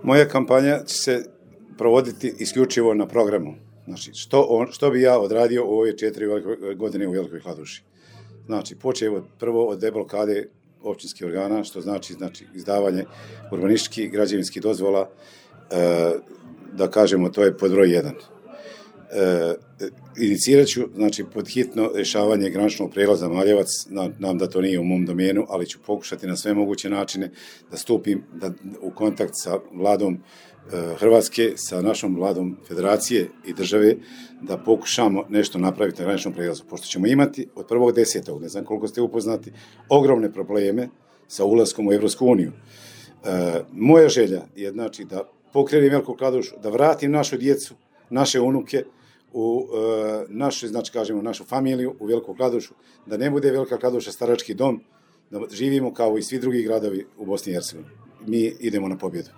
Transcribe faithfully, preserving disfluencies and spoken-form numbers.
Moja kampanja će se provoditi isključivo na programu. Znači, što, on, što bi ja odradio u ove četiri godine u Velikoj Kladuši. Znači, počeo od, prvo od deblokade općinskih organa, što znači, znači izdavanje urbanističkih građevinskih dozvola, e, da kažemo, to je pod broj jedan. E, inicirat ću, znači, pod hitno rješavanje graničnog prijelaza Maljevac, nam da to nije u mom domenu, ali ću pokušati na sve moguće načine da stupim da, u kontakt sa vladom e, Hrvatske, sa našom vladom Federacije i države, da pokušamo nešto napraviti na graničnom prijelazu, pošto ćemo imati od prvog desetog, ne znam koliko ste upoznati, ogromne probleme sa ulaskom u Evropsku uniju. E, moja želja je, znači, da pokrenem Veliku Kladušu, da vratim našu djecu, naše unuke u e, našu, znači kažemo, našu familiju u Veliku Kladušu, da ne bude Velika Kladuša starački dom, da živimo kao i svi drugi gradovi u Bosni i Hercegovini. Mi idemo na pobjedu.